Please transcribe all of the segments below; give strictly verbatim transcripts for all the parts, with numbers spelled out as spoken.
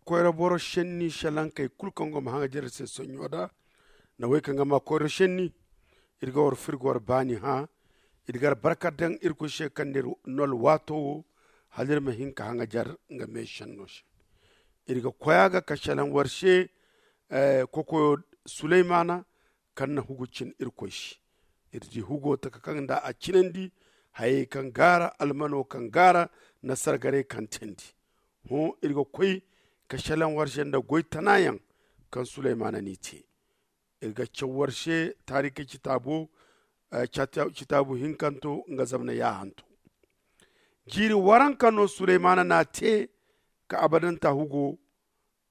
koyra boro senni salankey kulu kaŋ go ma haŋajer se sonɲo da. Nda wey kaŋ ga ma koyra senni, iri ga war firgo war baani hã. Iri ga albarka daŋ irkoy se kaŋ na iri no alwaato wo, hala iri ma hin ka haŋajer nga me senno se. Iri ga koy a ga ka salaŋ war se kokoyo suleymana, kaŋ na hugu cin irkoy se. Iri di hugo taka kaŋ nda a cinandi, hayey kaŋ gaara almano kaŋ gaara, na sargaray kaŋ teendi. Hõ iri ga koy ka selaŋ war se nda goy tana yaŋ kaŋ suleymana n'i te. Iri ga caw war se taarikey citaabo, citaabu hinkanto nga zamna yaahanto. Jiiri waranka no suleymana n'a te ka abadanta hugo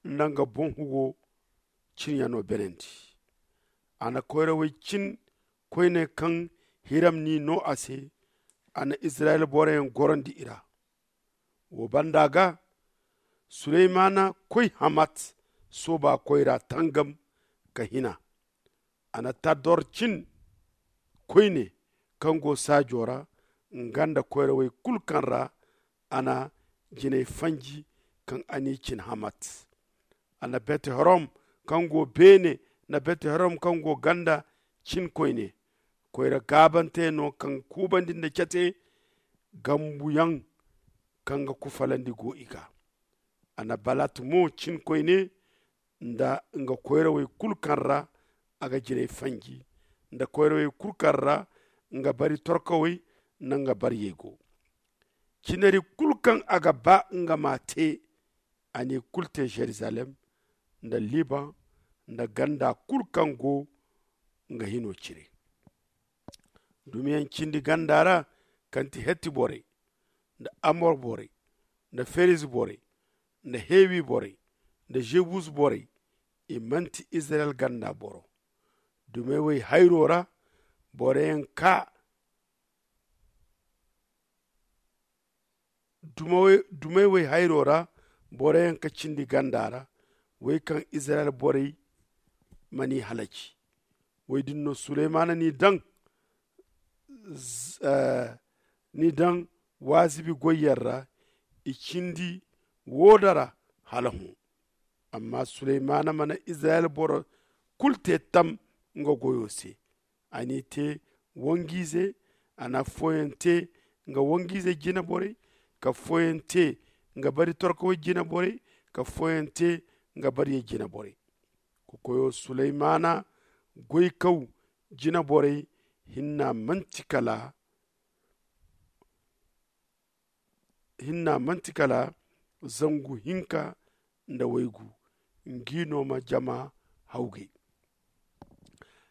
nda nga boŋ hugo cinyaŋo beenandi. A na koyrawey cin koyne kaŋ hiram n'i no a se. A na izirayel boroyaŋ gorandi i ra. Wo banda ga suleymana koy hamat sooba koyra tangam ka hina. A na tador cin koyne kaŋ go saajo ra, nga nda koyrawey kulu kaŋ ra a na jinay fanji kaŋ a n'i cin hamat. A na bet-horom kaŋ go beene, nda bet-horom kaŋ go ganda cin koyne. Koyra gaabante no kaŋ kuubandi nda cate gambuyaŋ kaŋ ga kufalandi go i ga. A na balat mo cin koyne nda nga koyrawey kulu kaŋ ra a ga jinay fanji, nda koyrawey kulu kaŋ ra nga bari torkawey nda nga bariyey go. Cinari kulu kaŋ a ga ba nga m'a te, a n'i kulu te zerizalem nda liban nda ganda kulu kaŋ go nga hino cire. Dumiyaŋ cindi ganda ra kaŋ ti hetti borey, nda amor borey, nda feriz borey, nda hewi borey, nda jebus borey, i manti izirayel ganda boro. Dumey wey hayro ra boroyaŋ ka dumey wey hayro ra boroyaŋ ka cindi ganda ra, wey kaŋ izirayel borey ma n'i halaci. Wey din no suleymana n'i daŋ n'i daŋ waazibi goyyaŋ ra. I cindi woo da ra hala hõ. Amma suleymana mana izirayel boro kulu te tam nga goyo se. A n'i te wanjiize. A na affooyaŋ te nga wanjiizey jine borey, ka affooyaŋ te nga bari torkawey jine borey, ka affooyaŋ te nga bariyey jine borey. Kokoyo suleymana goykaw jine borey hinna manti kala hinna manti kala zangu hinka nda waygu. Ngi no ma jama hawgay.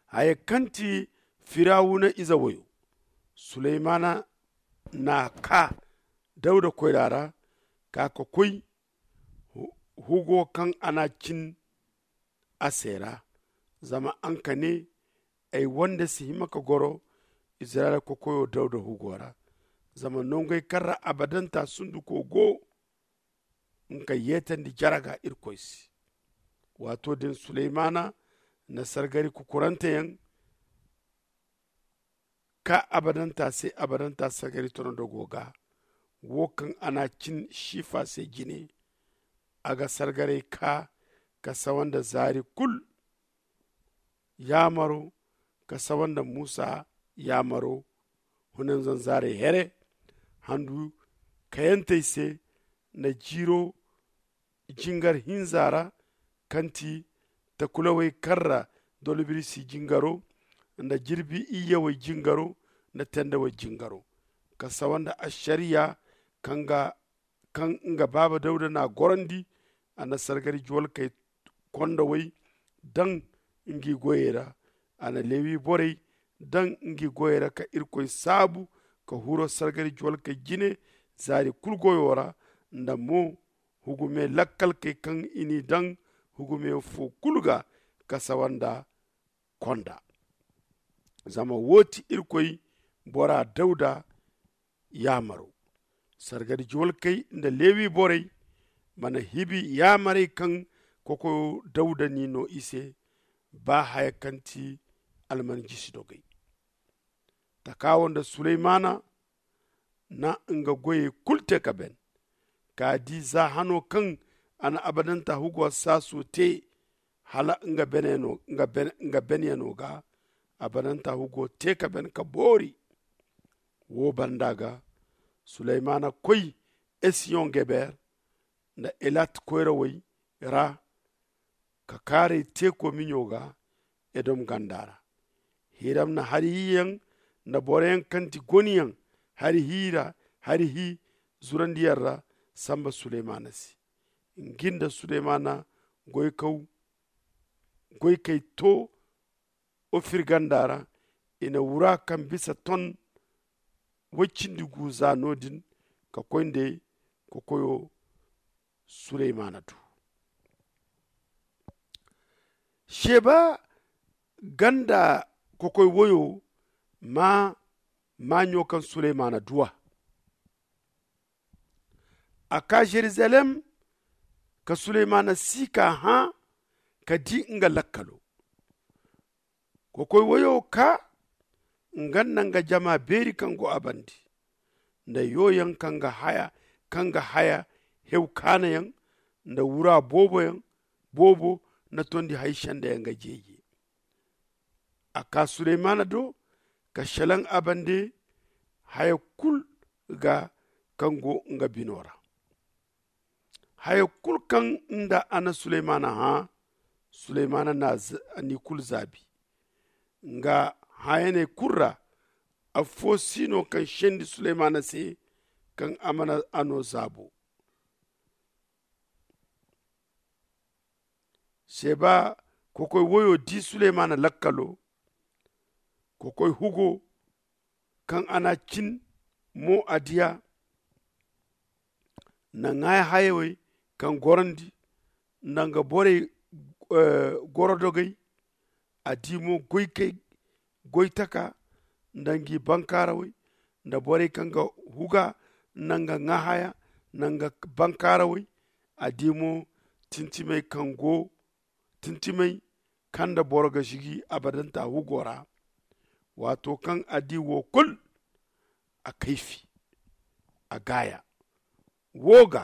Haya kaŋ ti firawuna ize wayo, suleymana n'a ka dawda koyra ra, ka ka koy hugo kaŋ a n'a cin a se ra. Zama a nga ne, ay wande si hima ka goro izirayila kokoyo dawda hugo ra. Zama nongey kaŋ ra abadanta sunduko go nga yeetandi jaraga irkoy se. Waato din suleymana na sargari kukuranteyaŋ ka abadanta se abadanta sargari tonodogo ga. Wo kaŋ a n'a cin sifa se jine, a ga sargaray ka ka sawa nda zaari kulu yaamaro, ka sawa nda musa yaamaro. Hunanzanzaaray here handu kayantey se nda jiiro jingar hinza ra, kaŋ ti takulawey kaŋ ra dolbirisi jingaro nda jirbi iyyawey jingaro nda tendawey jingaro, ka sawa nda ašariya kaŋ nga baaba dawda n'a gorandi. A na sargari juwalkey kondowey daŋ ngi goyey ra. A na lewi borey daŋ ngi goyey ra ka irkoy saabu ka huro sargari juwalkey jine zaari kulu goyo ra, nda mo hugume lakkalkey kaŋ i n'i daŋ hugume fo kulu ga ka sawa nda konda. Zama wo ti irkoy bora dawda yaamaro. Sargari juwalkey nda lewi borey mana hibi yaamarey kaŋ kokoyo dawda n'i no i se, ba haya kaŋ ti alman jisi dogey. Taka wo nda suleymana na nga goyey kulu te ka ben. Ka di za hano kaŋ a na abadanta hugo saaso te hala nga benyano ga abadanta hugo te ka ben ka boori. Wo banda ga suleymana koy esiyon geber nda elat koyrawey ra ka kaaray teeko miɲo ga edom ganda ra. Hiram na hari hiyaŋ nda boroyaŋ kaŋ ti goniyaŋ hari hi ra hari hi zurandiyaŋ ra samba suleymana se. Nga nda suleymana goykaw goykey to ofir ganda ra. I na wura kaŋ bisa ton woy cindi gu za no- din ka koy nda kokoyo suleymana du. Sheba ganda kokoy woyo ma maaɲo kaŋ suleymana du a. A ka jerusalem ka suleymana si ka hã ka di nga lakkalo. Kokoy woyo ka nga nda nga jama beeri kaŋ go a bande nda yoyaŋ kaŋ ga haya hew kaanayaŋ nda wura booboyaŋ boobo nda tondi hay sendayaŋ ga jeeje. A ka suleymana do ka selaŋ a bande haya kulu ga kaŋ go nga bino ra. Haya kulu kaŋ nda a na suleymana hã suleymana n'i kulu zaabi. Nga hãyaney kulu ra affo si no kaŋ sendi suleymana se kaŋ a mana a no zaabo. Seba kokoy woyo di suleymana lakkalo. Kokoy hugo kaŋ a n'a cin mo a di a. Nda ŋaaya hayawey kaŋ gorandi nda nga borey gorodogey. A di mo goykey goytaka nda ngi bankaarawey nda borey kaŋ ga huga nda nga ŋaahaya nda nga bankaarawey. A di mo tintimey kaŋ go tintimey kaŋ nda boro ga sigi abadanta hugo ra. Waato kaŋ a di wo kulu a kayfi a gaaya. Wo ga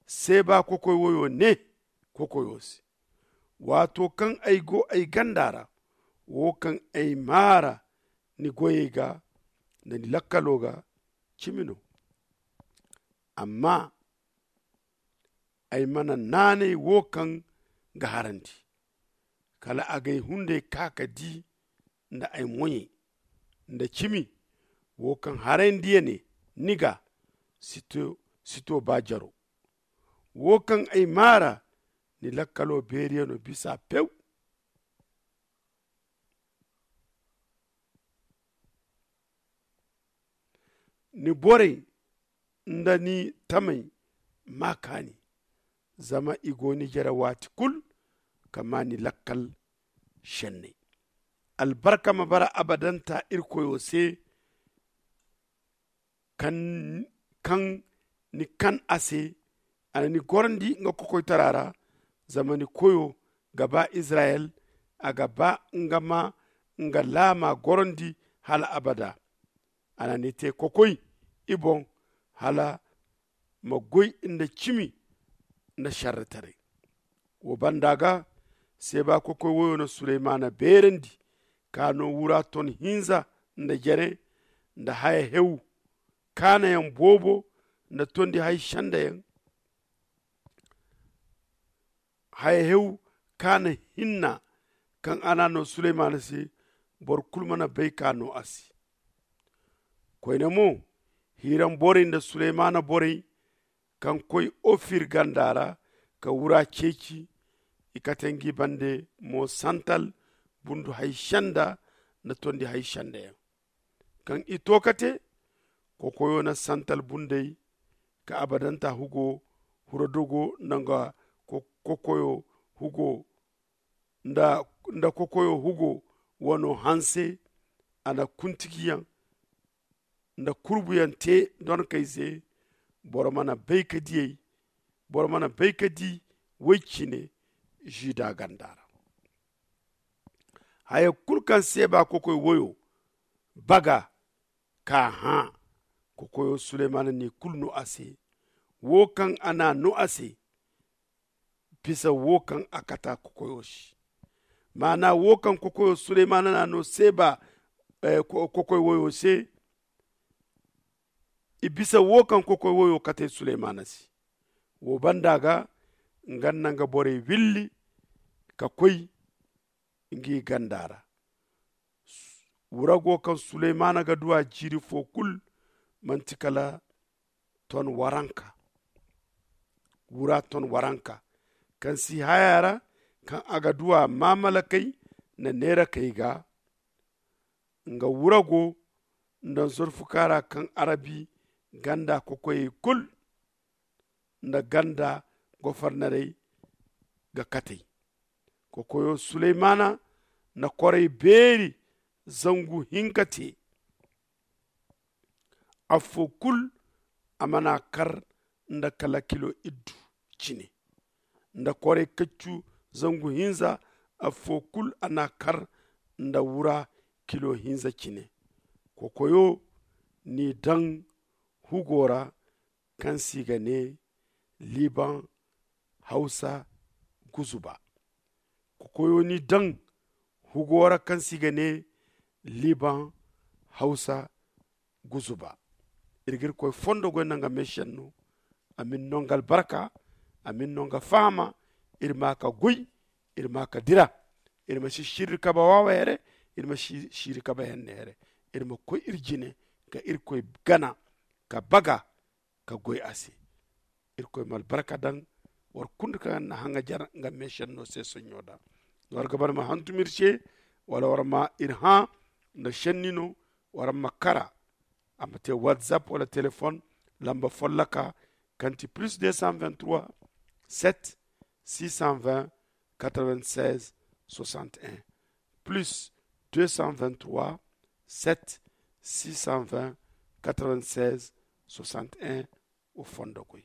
seeba kokoy woyo ne kokoyo se. Waato kaŋ ay go ay ganda ra wo kaŋ ay maara ni goyey ga nda ni lakkalo ga cimi no. Amma ay mana naanay wo kaŋ ga harandi kala a g'ay hunday ka ka di nda ay moɲey nda cimi wo kaŋ harandi ya ne ni ga si to ba jaro. Wo kaŋ ay maara ni lakkalo beeriyano bisa pew. Ni borey nda ni tamey ma kaani zama i go ni jere waati kulu ka ma ni lakkal senney. Albarka ma bara abadanta irkoyo se kaŋ ni kan a se. A na ni gorandi nga kokoytara ra zama ni koyo ga ba izirayel. A ga ba nga ma nga laama gorandi hala abada. A na ni te kokoy i boŋ hala ma goy nda cimi nda sarretaray. Wo banda ga seeba kokoy woyo na suleymana beerandi ka no wura ton hinza nda jere nda haya hew kaanayaŋ boobo nda tondi hay sendayaŋ. Haya hew kaana hinna kaŋ a n'a no suleymana se boro kulu mana bay ka no a se. Koyne mo hiram borey nda suleymana borey kaŋ koy ofir ganda ra ka wura ceeci. I kate ngi bande mo santal bundu hay senda nda tondi hay sendayaŋ. Kaŋ i to ka te kokoyo na santal bunday ka abadanta hugo huradogo nda nga kokoyo hugo nda kokoyo hugo wano hanse. A na kuntigiyaŋ nda kurbuyaŋ te donkey se. Boro mana bay ka diyey boro mana bay ka di woy cine. Juda ganda ra haya kulu kaŋ seeba kokoy woyo baga ka hã kokoyo suleymana n'i kulu no a se. Wo kaŋ a n'a no a se bisa wo kaŋ a kata kokoyo se. Maana wo kaŋ kokoyo suleymaana na no seeba kokoy woyo se. I bisa wo kaŋ kokoy woyo kate suleymaana se. Wo banda ga nga nda nga borey willi ka koy ngi ganda ra. Wurago kaŋ suleymaana ga du a jiiri fo kulu manti kala ton waranka. Wura ton waranka kaŋ si haya ra, kaŋ a ga du a maamalakey nda neerakey ga. Nga wurago nda nzorfuka ra kaŋ arabi ganda kokoyey kulu nda ganda gofornerey ga katey. Kokoyo suleymaana na korey beeri zangu hinka te. Affo kulu a mana kar nda kala kilo iddu cine, nda korey kaccu zangu hinza. Affo kulu a na kar nda wura kilo hinza cine. Kokoyo n'i daŋ hugo ra kaŋ se i ga ne liban hawsa guzuba. Kokoyo n'i daŋ hugo ra kaŋ se i ga ne liban hawsa guzuba. Iri ga irkoy fondo goy nda nga meesenno. A ma iri no nga albarka, a ma iri no nga fahama. Iri ma ka goy, iri ma ka dira. Iri ma si siiri kabe waawa here, iri ma si siiri kabe henne here. Iri ma koy iri jine ka irkoy gana, ka baga, ka goy a se. Irkoy ma albarka daŋ war kulu kaŋ na haŋajer nga meesenno se sonɲo da. War ga ba iri ma hantum iri se, wala war ma iri hã nda senni no, war ma kara. A ma te whatsapp wala téléphone lamba folloka kaŋ ti plus deux cent vingt-trois, sept, six cent vingt, quatre-vingt-seize, soixante et un, plus deux cent vingt-trois, sept, six cent vingt, quatre-vingt-seize, soixante et un. Wo fondo goy.